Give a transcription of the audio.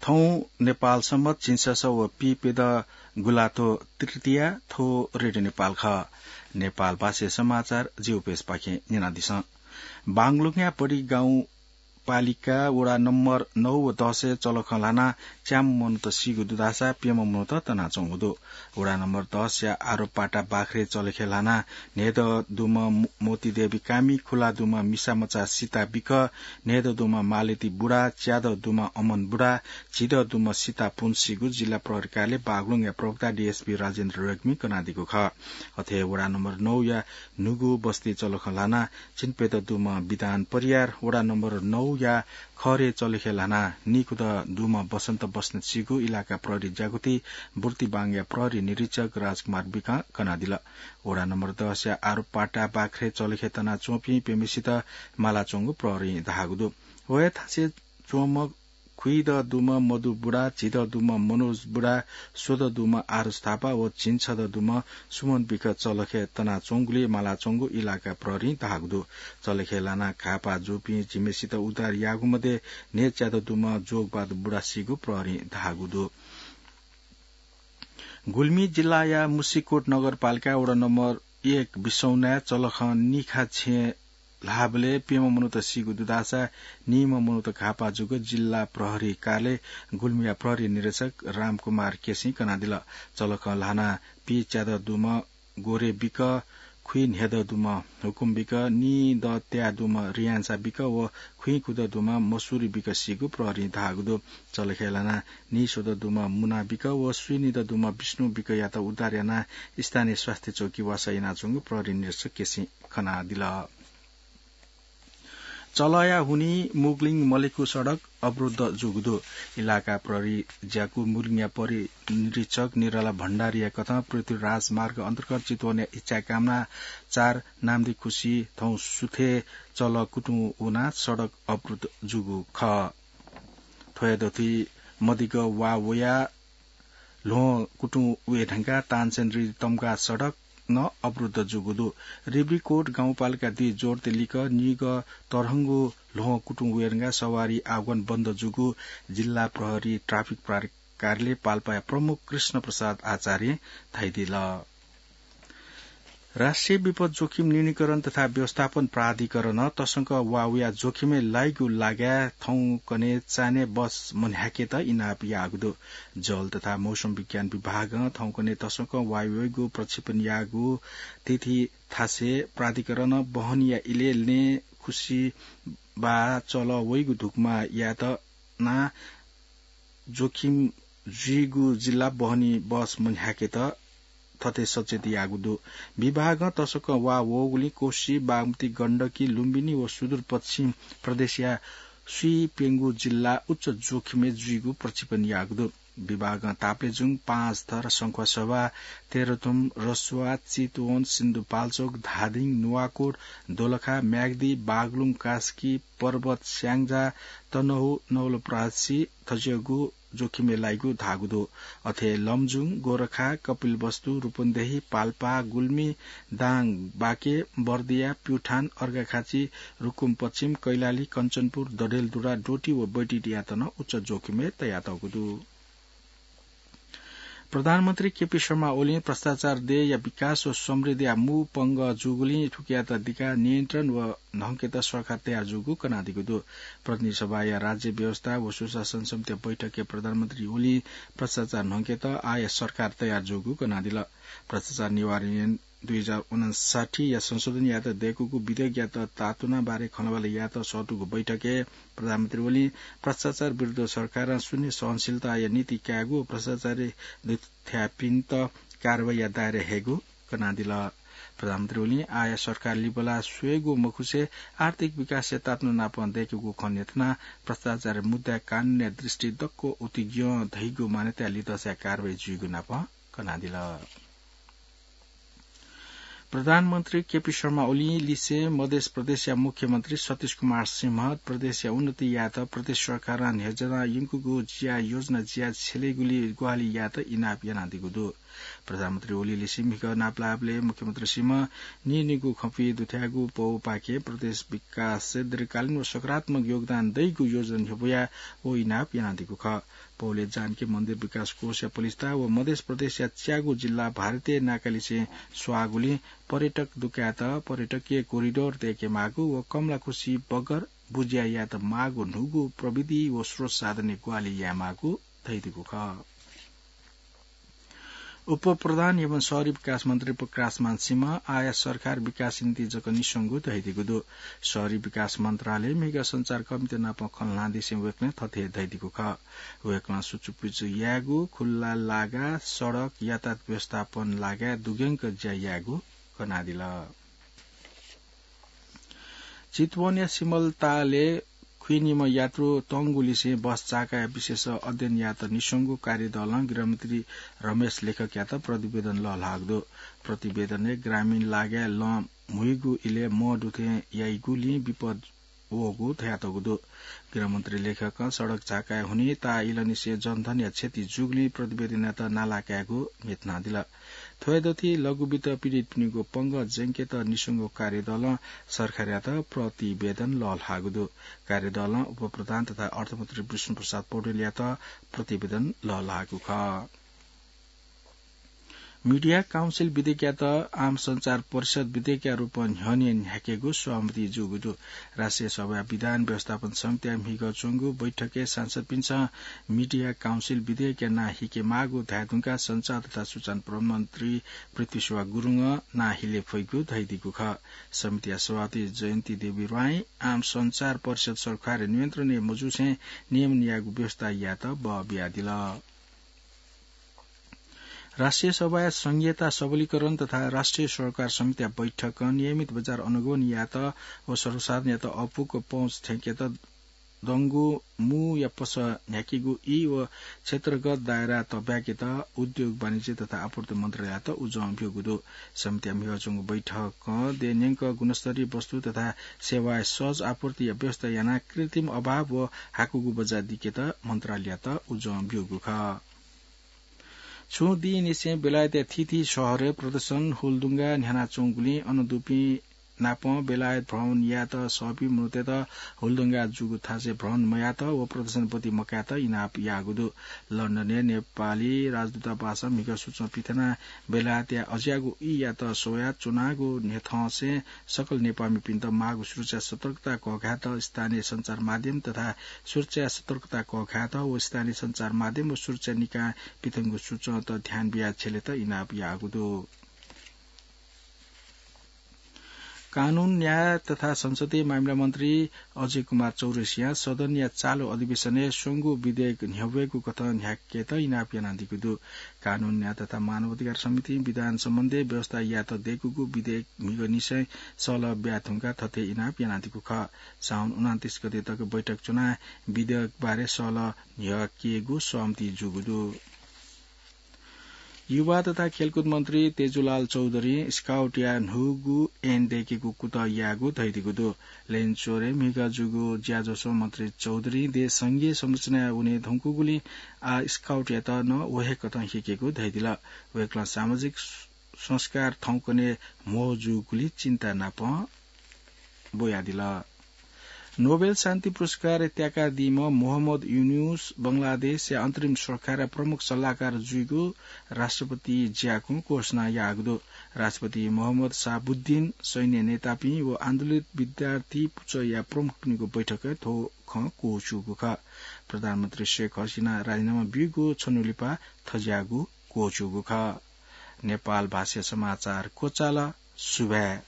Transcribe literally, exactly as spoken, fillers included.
थौं नेपाल सम्बत झिंछसः व पीप्यदँ गुंलाथ्व तृतीया। थ्व रेडियो नेपाल खः। नेपाल भाषाय् समाचार जि उपेशपाखें न्यनादिसँ। बागलुङया बडी गाउँ पालिका वडा नम्बर नौ व दसय् चलखं ल्हानाः च्याम्ह मनूत सीगु दुधासा प्यम्ह मनूत तनाच्वंगु दु। वडा नम्बर दसया आरोपाटा बाख्रे चलखे ल्हानाः न्हय्दँ दुम्ह मो-, मोती देवी कामी, खुला दुम्ह मिसा मचा सीता बिक, न्हय्दँ दुम्ह मालती बुढा, च्यादँ दुम्ह अमन बुढा, झिदँ दुम्ह सीता पुन सीगु जिल्ला प्रहरी कार्यालय बागलुङया प्रवक्ता डीएसपी राजेन्द्र रेग्मी कनादीगु खः। अथे वडा नम्बर नौया न्हूगु बस्ती चलखं ल्हानाः झिंप्यदँ दुम्ह विधान परियार, वडा नम्बर नौया खरे चलखे ल्हानाः नीखुदँ दुम्ह बसन्त बस्नेत सीगु इलाका प्रहरी ज्याकुथि बुर्तिबाङया प्रहरी निरीक्षक राजकुमार बिकं कनादिल। वडा नम्बर दसया आरोपाटा बाख्रे चलखे तनाच्वंपिं प्यम्हेसित मालाच्वंगु प्रहरीं धाःगु दु। व हे थासय् च्वंम्ह खुइदँ दुम्ह मधु बुढा, झिदँ दुम्ह मनोज बुढा, स्वदँ दुम्ह आरुष थापा व झिंछदँ दुम्ह सुमन बिक चलखे तनाच्वंगुलिइ मालाच्वंगु इलाका प्रहरीं धाःगु दु। चलखे ल्हानाः घाःपाः जूपिं झिम्हेसित उद्धार याःगु मध्ये न्हय्च्यादँ दुम्ह जोगबहादुर बुढा सीगु प्रहरीं धाःगु दु। गुल्मी जिल्लाया मुसिकोट नगरपालिका वडा नम्बर एक बिसौनाय् चलखं निखा छेँ ल्हाःबलय् प्यम्ह मनूत सीगु दुधासा नीम्ह मनूत घाःपाः जूगु जिल्ला प्रहरी कार्यालय गुल्मीया प्रहरी निरीक्षक रामकुमार केसीं कनादिल। चलखं ल्हानाः पीच्यादँ दुम्ह गोरे बिक, खुइन्हय्दँ दुम्ह हुकुम बिक, नीदँ त्याः दुम्ह रियान्सा बिक व खुइखुदँ दुम्ह मसुरी बिक सीगु प्रहरीं धाःगु दु। चलखे ल्हानाः नीस्वदँ दुम्ह मुना बिक व स्वीनिदँ दुम्ह विष्णु बिकयात उद्धार यानाः स्थानीय स्वास्थ्य चौकी वासः यानाच्वंगु प्रहरी निरीक्षक केसीं कनादिल। चलःया हुनिं मुगलिङ मलेखु सडक अवरुद्ध जूगु दु। इलाका प्रहरी ज्याकू मुगलिङया प्रहरी निरीक्षक निराला भण्डारीया कथं पृथ्वी राजमार्ग अन्तर्गत चितवनया इच्छाकामना चार नाम्दिखुसी थौं सुथय् चलः कुतुं वनाः सडक अवरुद्ध जूगु खः। थ्वया दथुइ मदिगः वा वयाः ल्वहं कुतुं वये धुंकाः तानसेन रिबी तम्घा सडक नं अवरुद्ध जूगु दु। रिब्रीकोट गाउँपालिका दुई जोर्ते लिक्क निगः तरहंगु ल्वहं कुतुं वये धुंकाः सवारी आगमन बन्द जूगु जिल्ला प्रहरी ट्राफिक प्राधिकरण कार्यालय पाल्पाया प्रमुख कृष्ण प्रसाद आचार्यं धयादिल। राष्ट्रिय विपद जोखिम न्यूनीकरण तथा व्यवस्थापन प्राधिकरणं तसकं वा वयाः जोखिमय् लाइगु लागाय् थौंकन्हय् चान्हय् बस मन्ह्याकेत इनाप याःगु दु। जल तथा मौसम विज्ञान विभागं थौंकन्हय् तसकं वा वइगु प्रक्षेपण याःगु तिथि थासय् प्राधिकरणं बहनीया इलय् लँय् खुसी वा चलः वइगु धुकुमा यायेत ना जोखिम जुइगु जिल्ला बहनी बस मन्ह्याकेत थथे सचेत याःगु दु। विभागं तसकं वा वःगुलिं कोशी, बागमती, गण्डकी, लुम्बिनी व सुदूरपश्चिम प्रदेशया स्वीप्यंगू जिल्ला उच्च जोखिमय् जुइगु प्रक्षेपण याःगु दु। विभागं ताप्लेजुङ, पाँचथर, शंखुवासभा, तेह्रथुम, रसुवा, चितवन, सिन्धुपाल्चोक, धादिङ, नुवाकोट, दोलखा, म्याग्दी, बागलुङ, कास्की, पर्वत, स्याङ्जा, तनहुँ, नवलपरासी थज्याःगु जोखिमय् लाइगु धाःगु दु। अथे लमजुङ, गोरखा, कपिलवस्तु, रूपन्देही, पाल्पा, गुल्मी, दाङ, बाँके, बर्दिया, प्युठान, अर्घाखाँची, रुकुम पश्चिम, कैलाली, कञ्चनपुर, डडेलधुरा, डोटी व बैतडीयात नं उच्च जोखिमय् तयातःगु दु। प्रधानमन्त्री केपी शर्मा ओलीं भ्रष्टाचार देय्‌या विकास व समृद्धिया मू पंगः जूगुलिं थुकियात दिकाः नियन्त्रण व न्हंकेत सरकार तयार जूगु कनादीगु दु। प्रतिनिधि सभाया राज्य व्यवस्था व सुशासन समितिया बैठकय् प्रधानमन्त्री ओलीं भ्रष्टाचार न्हंकेत आःया सरकार तयार जूगु कनादिल। भ्रष्टाचार निवारण ऐन दुई हजार उनन्साठीया संशोधन यायेत दय्‌कूगु विधेयकयात तातुना बारे खँल्हाबल्हा यायेत सःतूगु बैठकय् प्रधानमन्त्री ओलीं भ्रष्टाचार विरुद्ध सरकारं शून्य सहनशीलताया नीति कायेगु व भ्रष्टाचारय् दुथ्याःपिन्त कारवाहीया दायराय् हयेगु कनादिल। प्रधानमन्त्री ओलीं आःया सरकार लिपा ला स्वयेगु मखुसे आर्थिक विकासय् तातुना नापं दय्‌कूगु खँ न्ह्यथनाः भ्रष्टाचार मुद्दाय् कानूनया दृष्टि दक्व उतिग्यं धइगु मान्यताया लिधंसाय् कारवाही जुइगु नापं कनादिल। प्रधानमन्त्री केपी शर्मा ओलीं लिसें मध्य प्रदेशया मुख्यमन्त्री सतीश कुमार सिंह प्रदेशया उन्नति यायेत प्रदेश सरकारं न्ह्यज्यानाः यंकूगु ज्या योजना ज्या छ्यलेगुली ग्वाहालि यायेत इनाप यानादीगु दु। प्रधानमन्त्री ओली लिसें म्हिगः नापलाःबलय् मुख्यमन्त्री सिंह नीनिगू खँपुइ दुथ्याःगु पौपाखें प्रदेश विकासय् दीर्घकालीन व सकारात्मक योगदान दइगु योजना न्ह्यब्वयाः व इनाप यानादीगु खः। पौले जानकी मन्दिर विकास कोषया पलिस्था व मधेस प्रदेशया च्यागू जिल्ला भारतीय नाकालिसें स्वाःगुलिं पर्यटक दुकायेत पर्यटकीय कोरिडोर दय्केमाःगु व कमलाखुसी बगर बुझ्या यायेत माःगु न्हूगु प्रविधि व स्रोत साधनय् ग्वाहालि यायेमाःगु धयादीगु खः। उपप्रधान एवं शहरी विकास मन्त्री प्रकाशमान सिंह आः सरकार विकास निंतिं जक निस्वंगु धयादीगु दु। शहरी विकास मन्त्रालय म्हिगः सञ्चारकर्मीत नाप खँ ल्हानादिसें वय्कलं थथे धयादीगु खः। वय्कलं सुचुपुचु यायेगु, खुल्ला लागा, सडक, यातायात व्यवस्थापन लागाय् दुग्यंक ज्या यायेगु कनादिल। चितवनया सिमलतालय् खुइनिम्ह यात्रु तंगुलिसें बस चाकाया विषयस अध्ययन यायेत निस्वंगु कार्यदलं गृहमन्त्री रमेश लेखकयात प्रतिवेदन लःल्हाःगु दु। प्रतिवेदनय् ग्रामीण लागाय् लं म्हुइगु इलय् मदुथें याइगुलिं विपद वःगु धयातःगु दु। गृहमन्त्री लेखकं सडक चाकाय् हुनिं ताः इलंनिसें जनधनया क्षति जूगुलिं प्रतिवेदनयात नाला कायेगु न्ह्यथनादिल। थ्वय् दथुइ लघुवित्त पीडितपिनिगु पंगः ज्यंकेत निस्वंगु कार्यदलं सरकारयात प्रतिवेदन लःल्हाःगु दु। कार्यदलं उपप्रधान तथा अर्थमन्त्री विष्णुप्रसाद पौडेलयात प्रतिवेदन लःल्हाःगु खः। मिडिया काउन्सिल विधेयकयात आम सञ्चार परिषद विधेयकया रूपं न्ह्यःने न्ह्याकेगु सहमति जूगु दु। राष्ट्रिय सभाया विधान व्यवस्थापन समितिया म्हिगः च्वंगु बैठकय् सांसदपिन्सं मिडिया काउन्सिल विधेयकया नां हिकेमाःगु धायेधुंकाः सञ्चार तथा सूचना प्रमन्त्री पृथ्वीसेवा गुरुङं नां हिले फइगु धयादीगु खः। समितिया सभापति जयन्ती देवी राईं आम सञ्चार परिषद सरकारया नियन्त्रणय् मजूसें नियमन यायेगु व्यवस्था यायेत बः बियादिल। राष्ट्रिय सभाया संघीयता सबलीकरण तथा राष्ट्रिय सरोकार समितिया बैठकं नियमित बजार अनुगमन यायेत व सर्वसाधारणयात अःपुक पहुँच थ्यंकेत दंगु मूया पसः न्ह्याकेगु ई व क्षेत्रगत दायरा तःब्याकेत उद्योग, वाणिज्य तथा आपूर्ति मन्त्रालययात उजं ब्यूगु दु। समितिया म्हिगः च्वंगु बैठकं देय् न्यंक गुणस्तरीय वस्तु तथा सेवाया सहज आपूर्तिया व्यवस्था यानाः कृत्रिम अभाव व हाकुगु बजार दिकेत मन्त्रालययात उजं ब्यूगु खः। छुं दिंनिसें बेलायतया थीथी शहरय् प्रदर्शन हुलदुंगा न्ह्यानाच्वंगुलिं अन दुपिं नाप बेलायत भ्रमण यायेत सःपिं मनूतय्त हुलदुंगा जूगु थासय् भ्रमण मयायेत व प्रदर्शन ब्वति मकायेत इनाप याःगु दु। लन्डनय् नेपाली राजदूतावासं म्हिगः सूचना पिथनाः बेलायतया अज्याःगु ईयात स्वयाच्वनागु न्ह्यथंसें सकल नेपाःमिपिन्त माःगु सुरक्षा सतर्कता कःघायेत स्थानीय सञ्चार माध्यम तथा सुरक्षा सतर्कता कःघायेत व स्थानीय सञ्चार माध्यम व सुरक्षा निकायं पिथंगु सूचनात ध्यान बियाः छ्यलेत इनाप याःगु दु। कानून, न्याय तथा संसदीय मामिला मन्त्री अजय कुमार चौरसियां सदनया चालु अधिवेशनय् स्वंगू विधेयक न्ह्यब्वयेगु कथं न्ह्याकेत इनाप यानादीगु दु। कानून, न्याय तथा मानवाधिकार समितिं विधान सम्बन्धी व्यवस्था यायेत दय्कूगु विधेयक म्हिगःनिसें सल्लाह ब्याये धुंकाः थथे इनाप यानादीगु खः। साउन उनन्तीस गते तक बैठक च्वनाः विधेयक बारे सल्लाह न्ह्याकेगु सहमति जूगु दु। युवा तथा खेलकुद मन्त्री तेजुलाल चौधरीं स्काउटया न्हूगु ऐन दय्केगु कुतः याःगु धयादीगु दु। लैनचोरय् म्हिगः जूगु ज्याझ्वलय् मन्त्री चौधरीं देश संघीय संरचनाय् वने धुंकूगुलिं आः स्काउटयात नं व हे कथं हिकेगु धयादिल। वय्कलं सामाजिक संस्कार थौंकन्हय् म्हो जूगुलिं चिन्ता नाप ब्वयादिल। नोबेल शान्ति पुरस्कार त्याकादीम्ह मोहम्मद युनुस बंगलादेशया अन्तरिम सरकारया प्रमुख सल्लाहकार जुइगु राष्ट्रपति ज्याकुं घोषणा याःगु दु। राष्ट्रपति मोहम्मद शाहबुद्दिन, सैन्य नेतापिं व आन्दोलित विद्यार्थी पुचःया प्रमुखपिनिगु बैठकय् थ्व खँ क्वःछूगु खः। प्रधानमन्त्री शेख हसिना राजीनामा ब्यूगु छन्हु लिपा थज्याःगु क्वःछूगु खः। नेपाल भाषाया समाचार क्वचाल। सुभाय्।